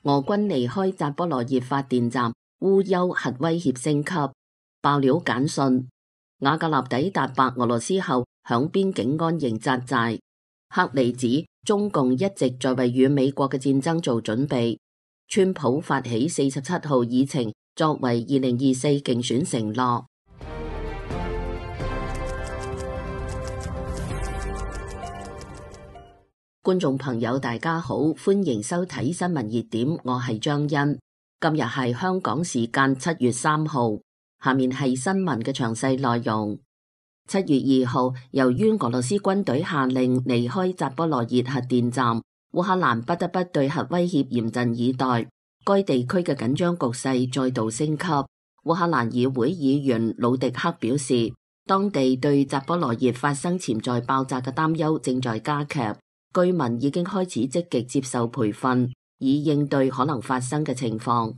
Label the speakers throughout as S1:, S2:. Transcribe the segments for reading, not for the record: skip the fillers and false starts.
S1: 俄軍離開扎波羅熱發電站，烏憂核威脅升級。爆料簡訊：瓦格納抵達白俄羅斯後，響邊境安營紮寨。克里指中共一直在為與美國嘅戰爭做準備。川普發起47號議程，作為2024競選承諾。觀眾朋友大家好，歡迎收睇新聞熱點，我係張欣。今日係香港時間7月3號，下面係新聞嘅詳細內容。7月2號，由於俄羅斯軍隊下令離開扎波羅熱核電站，烏克蘭不得不對核威脅嚴陣以待，該地區嘅緊張局勢再度升級。烏克蘭議會議員魯迪克表示，當地對扎波羅熱發生潛在爆炸嘅擔憂正在加劇。居民已經開始積極接受培訓，以應對可能發生嘅情況。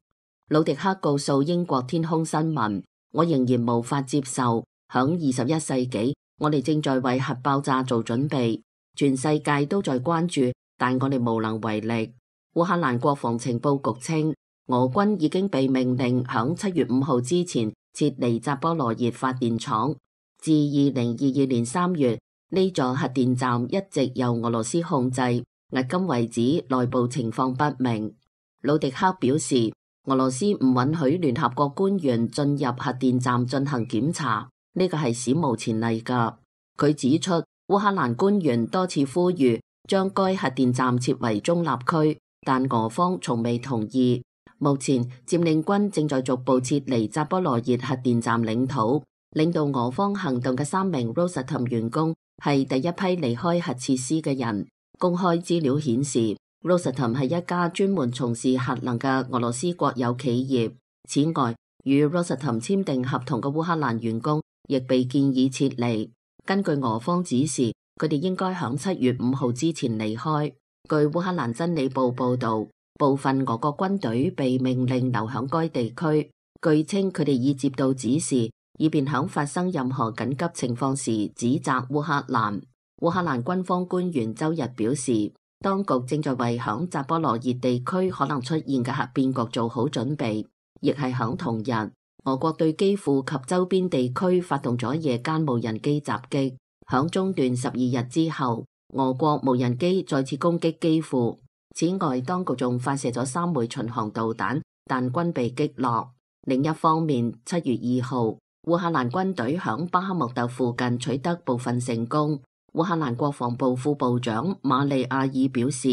S1: 魯迪克告訴英國天空新聞：我仍然無法接受，響21世紀，我哋正在為核爆炸做準備，全世界都在關注，但我哋無能為力。烏克蘭國防情報局稱，俄軍已經被命令響7月5號之前撤離扎波羅熱發電廠。自2022年3月，呢座核電站一直由俄羅斯控制，迄今為止內部情況不明。魯迪克表示，俄羅斯唔允許聯合國官員進入核電站進行檢查，呢個係史無前例噶。佢指出，烏克蘭官員多次呼籲將該核電站設為中立區，但俄方從未同意。目前佔領軍正在逐步撤離扎波羅熱核電站領土。領導俄方行動嘅3名 Rosatom 員工係第一批離開核設施嘅人。公開資料顯示 Rosatom 係一家專門從事核能嘅俄羅斯國有企業。此外，與 Rosatom 簽訂合同嘅烏克蘭員工亦被建議撤離。根據俄方指示，佢哋應該響7月5號之前離開。據烏克蘭真理報報道，部分俄國軍隊被命令留響該地區。據稱，佢哋已接到指示，以便響發生任何緊急情況時指責烏克蘭。烏克蘭軍方官員周日表示，當局正在為響扎波羅熱地區可能出現嘅核變局做好準備。亦係響同日，俄國對基輔及周邊地區發動咗夜間無人機襲擊。響中斷12日之後，俄國無人機再次攻擊基輔。此外，當局仲發射咗3枚巡航導彈，但均被擊落。另一方面，7月2號，烏克蘭軍隊響巴克穆特附近取得部分成功。烏克蘭國防部副部長馬利亞爾表示，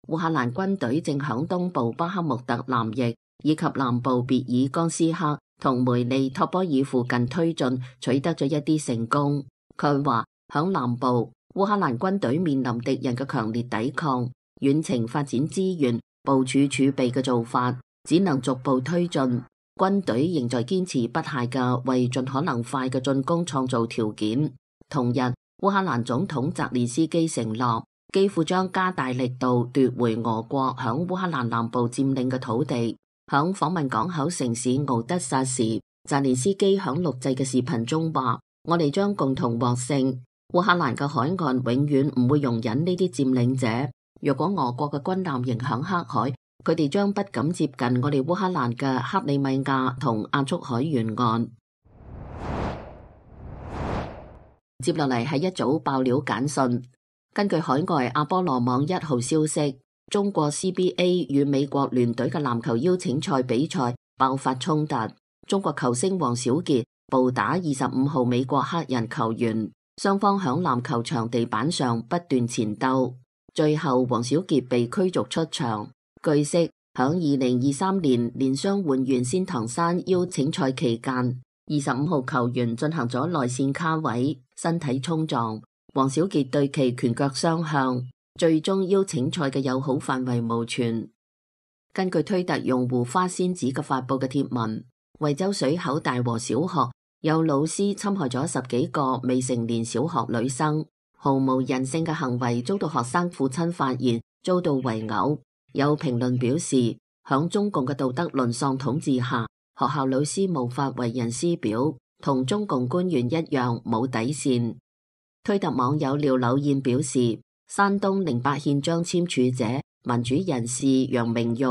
S1: 烏克蘭軍隊正響東部巴克穆特南翼以及南部別爾江斯克同梅利托波爾附近推進，取得咗一啲成功。佢話響南部，烏克蘭軍隊面臨敵人嘅強烈抵抗，遠程發展資源、部署儲備嘅做法只能逐步推進。軍隊仍在堅持不懈嘅為盡可能快嘅進攻創造條件。同日，烏克蘭總統澤連斯基承諾，基輔將加大力度奪回俄國響烏克蘭南部佔領嘅土地。響訪問港口城市敖德薩時，澤連斯基響錄製嘅視頻中話：我哋將共同獲勝。烏克蘭嘅海岸永遠唔會容忍呢啲佔領者。若果俄國嘅軍艦迎響黑海，佢哋將不敢接近我哋烏克蘭嘅克里米亞同亞速海沿岸。接落嚟係一組爆料簡訊。根據海外阿波羅網1號消息，中國 CBA 與美國聯隊嘅籃球邀請賽比賽爆發衝突，中國球星王小傑暴打25號美國黑人球員，雙方響籃球場地板上不斷纏鬥，最後王小傑被驅逐出場。據悉，響2023年連雙換完仙堂山邀請賽期間，25號球員進行咗內線卡位，身體衝撞，王小傑對其拳腳相向，最終邀請賽嘅友好範圍無存。根據推特用戶花仙子嘅發佈嘅貼文，惠州水口大和小學有老師侵害咗10幾個未成年小學女生，毫無人性嘅行為遭到學生父親發現，遭到圍毆。有評論表示，響中共嘅道德淪喪統治下，學校老師無法為人師表，同中共官員一樣冇底線。推特網友廖柳燕表示，山東08縣章簽署者民主人士楊明玉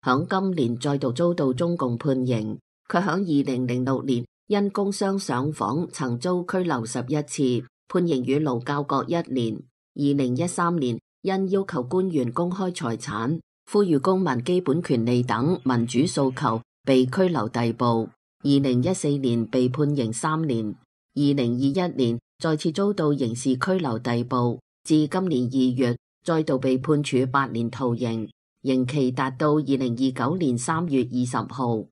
S1: 響今年再度遭到中共判刑。佢響2006年因工商上訪曾遭拘留11次，判刑與勞教各1年。2013年因要求官員公開財產、呼籲公民基本權利等民主訴求被拘留逮捕。2014年被判刑3年。2021年再次遭到刑事拘留逮捕，至今年2月再度被判處8年徒刑，刑期達到2029年3月20號。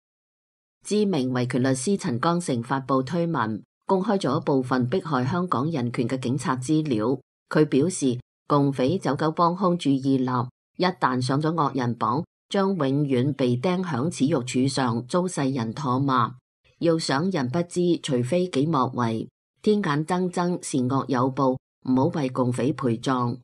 S1: 知名維權律師陳剛誠發布推文，公開咗部分迫害香港人權嘅警察資料。佢表示，共匪走狗幫兇注意力，一旦上咗惡人榜，將永遠被釘響恥辱柱上，遭世人唾罵。要想人不知，除非己莫為。天眼睜睜，善惡有報，唔好為共匪陪葬。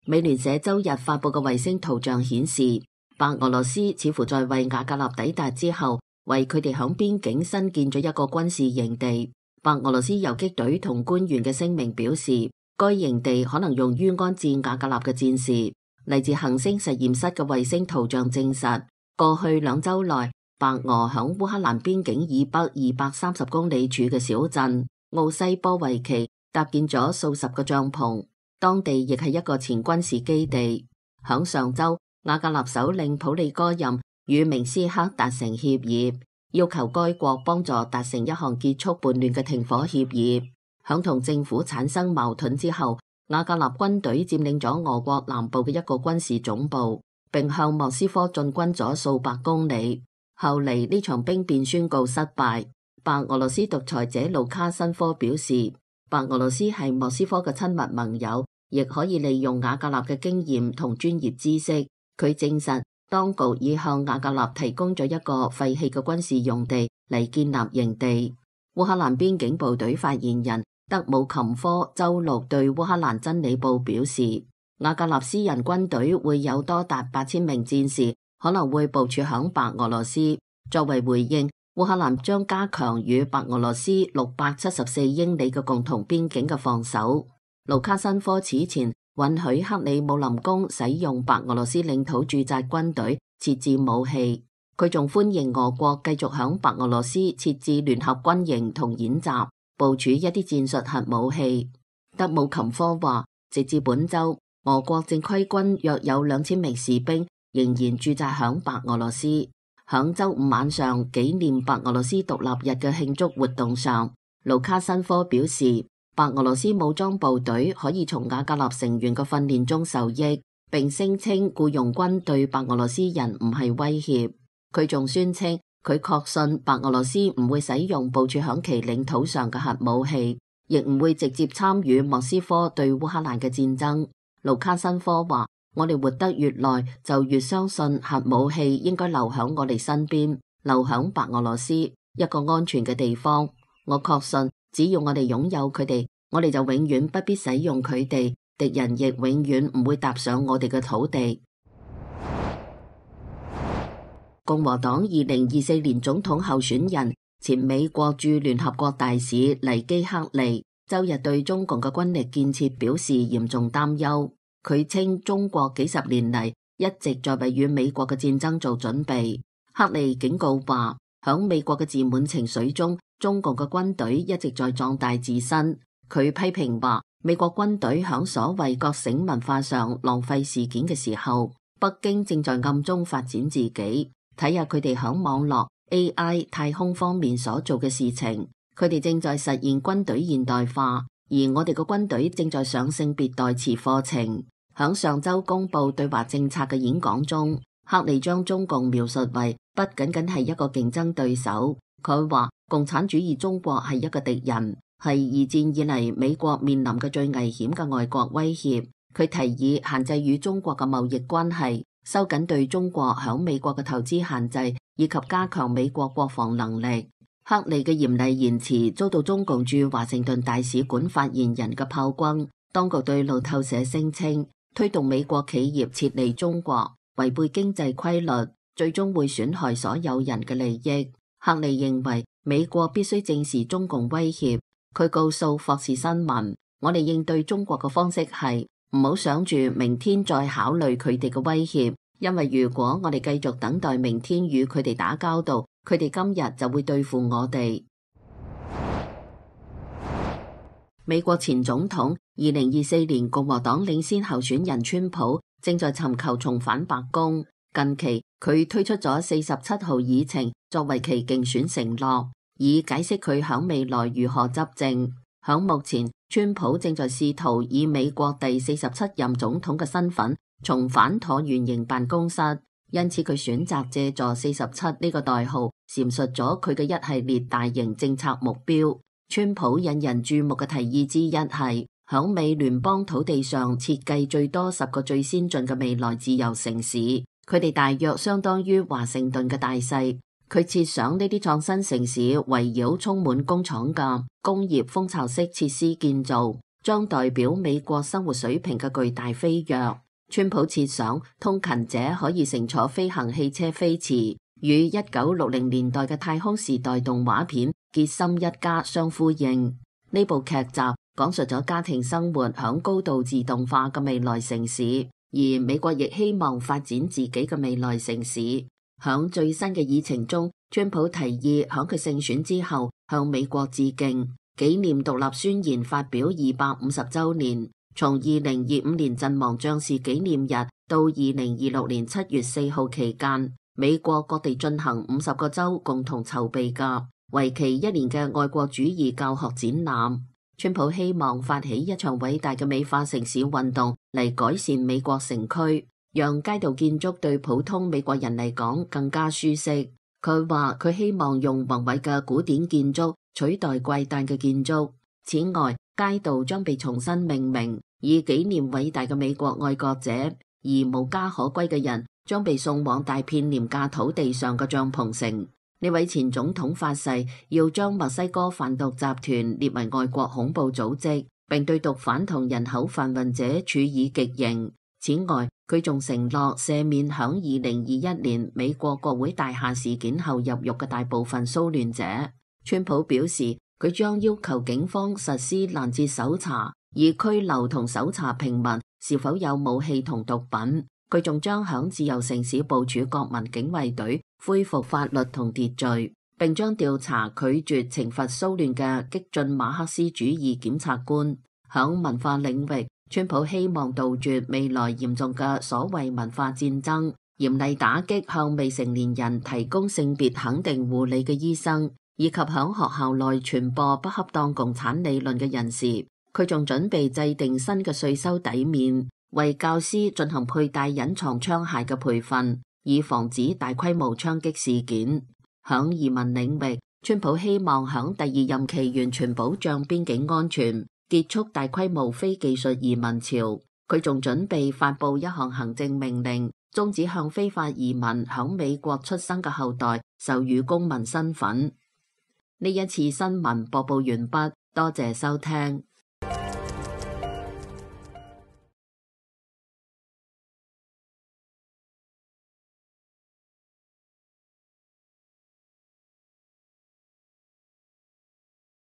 S1: 美聯社周日發布嘅衛星圖像顯示，白俄羅斯似乎在為瓦格納抵達之後，為佢哋響邊境新建咗一個軍事營地。白俄羅斯游擊隊同官員嘅聲明表示，該營地可能用於安置瓦格納嘅戰士。嚟自行星實驗室嘅衛星圖像證實，過去2週內，白俄響烏克蘭邊境以北230公里處嘅小鎮奧西波維奇搭建咗數十個帳篷，當地亦係一個前軍事基地。響上週，瓦格納首領普利戈任與明斯克達成協議，要求該國幫助達成一項結束叛亂嘅停火協議。響同政府產生矛盾之後，瓦格納軍隊佔領咗俄國南部嘅一個軍事總部，並向莫斯科進軍咗數百公里。後嚟呢場兵變宣告失敗。白俄羅斯獨裁者盧卡申科表示，白俄羅斯係莫斯科嘅親密盟友，亦可以利用瓦格納嘅經驗同專業知識。佢證實，當局已向瓦格納提供咗一個廢棄嘅軍事用地嚟建立營地。烏克蘭邊境部隊發言人德姆琴科周六對烏克蘭真理報表示，瓦格納私人軍隊會有多達8000名戰士，可能會部署響白俄羅斯。作為回應，烏克蘭將加強與白俄羅斯674英里嘅共同邊境嘅防守。盧卡申科此前允許克里姆林宮使用白俄羅斯領土駐紮軍隊設置武器，佢仲歡迎俄國繼續響白俄羅斯設置聯合軍營同演習，部署一啲戰術核武器。德姆琴科話，直至本周，俄國正規軍約有2000名士兵仍然駐紮響白俄羅斯。響周5晚上紀念白俄羅斯獨立日嘅慶祝活動上，盧卡申科表示，白俄羅斯武裝部隊可以從瓦格納成員嘅訓練中受益，並聲稱僱傭軍對白俄羅斯人唔係威脅。佢仲宣稱佢確信白俄羅斯唔會使用部署響其領土上嘅核武器，亦唔會直接參與莫斯科對烏克蘭嘅戰爭。盧卡申科話，我哋活得越耐，就越相信核武器應該留響我哋身邊，留響白俄羅斯一個安全嘅地方。我確信，只要我哋擁有佢哋，我哋就永遠不必使用佢哋，敵人亦永遠唔會踏上我哋嘅土地。共和黨2024年總統候選人、前美國駐聯合國大使尼基克利周日對中共嘅軍力建設表示嚴重擔憂。佢稱中國幾十年嚟一直在為與美國嘅戰爭做準備。克利警告話，響美國嘅自滿情緒中，中共嘅軍隊一直在壯大自身。佢批評話，美國軍隊響所謂覺醒文化上浪費事件嘅時候，北京正在暗中發展自己。睇下佢哋響網絡、AI、太空方面所做嘅事情，佢哋正在實現軍隊現代化，而我哋嘅軍隊正在上性別代詞課程。響上周公布對華政策嘅演講中，克利將中共描述為不僅僅係一個競爭對手。佢話共產主義中國係一個敵人，係二戰以嚟美國面臨嘅最危險嘅外國威脅。佢提議限制與中國嘅貿易關係，收緊對中國響美國嘅投資限制，以及加強美國國防能力。克利嘅嚴厲言辭遭到中共駐華盛頓大使館發言人嘅炮轟。當局對路透社聲稱，推動美國企業撤離中國，違背經濟規律，最終會損害所有人嘅利益。克利認為美國必須正視中共威脅。佢告訴霍士新聞，我哋應對中國嘅方式係唔好想住明天再考慮佢哋嘅威脅，因為如果我哋繼續等待明天與佢哋打交道，佢哋今日就會對付我哋。美國前總統2024年共和黨領先候選人川普正在尋求重返白宮。近期佢推出咗47號議程作為其競選承諾，以解釋佢響未來如何執政。響目前，川普正在試圖以美國第47任總統嘅身份重返橢圓形辦公室，因此佢選擇借助47呢個代號闡述咗佢嘅一系列大型政策目標。川普引人注目嘅提議之一係響美聯邦土地上設計最多10個最先進嘅未來自由城市，佢哋大約相當於華盛頓嘅大細。佢設想呢啲創新城市圍繞充滿工廠嘅工業蜂巢式設施建造，將代表美國生活水平嘅巨大飛躍。川普設想通勤者可以乘坐飛行汽車飛馳，與1960年代嘅太空時代動畫片傑森一家相呼應。呢部劇集講述咗家庭生活響高度自動化嘅未來城市，而美國亦希望發展自己嘅未來城市。響最新嘅議程中，川普提議響佢勝選之後向美國致敬，紀念獨立宣言發表250週年。從2025年陣亡將士紀念日到2026年7月4號期間，美國各地進行50個州共同籌備嘅為期1年嘅愛國主義教學展覽。川普希望發起一場偉大嘅美化城市運動嚟改善美國城區，讓街道建築對普通美國人嚟講更加舒適。佢話佢希望用宏偉嘅古典建築取代怪誕嘅建築。此外，街道將被重新命名，以紀念偉大嘅美國愛國者，而無家可歸嘅人將被送往大片廉價土地上嘅帳篷城。呢位前總統發誓要將墨西哥販毒集團列為外國恐怖組織，並對毒販同人口販運者處以極刑。此外，佢仲承諾赦免響2021年美國國會大廈事件後入獄嘅大部分騷亂者。川普表示，佢將要求警方實施攔截搜查，以拘留同搜查平民是否有武器同毒品。佢仲將響自由城市部署國民警衛隊，恢復法律同秩序，並將調查拒絕懲罰騷亂嘅激進馬克思主義檢察官。響文化領域，川普希望杜絕未來嚴重嘅所謂文化戰爭，嚴厲打擊向未成年人提供性別肯定護理嘅醫生，以及響學校內傳播不恰當共產理論嘅人士。佢仲準備制定新嘅稅收抵免，為教師進行佩戴隱藏槍械嘅培訓，以防止大規模槍擊事件。響移民領域，川普希望響第二任期完全保障邊境安全，結束大規模非技術移民潮。佢仲準備發布一項行政命令，終止向非法移民響美國出生嘅後代授予公民身份。呢一次新聞播報完畢，多謝收聽。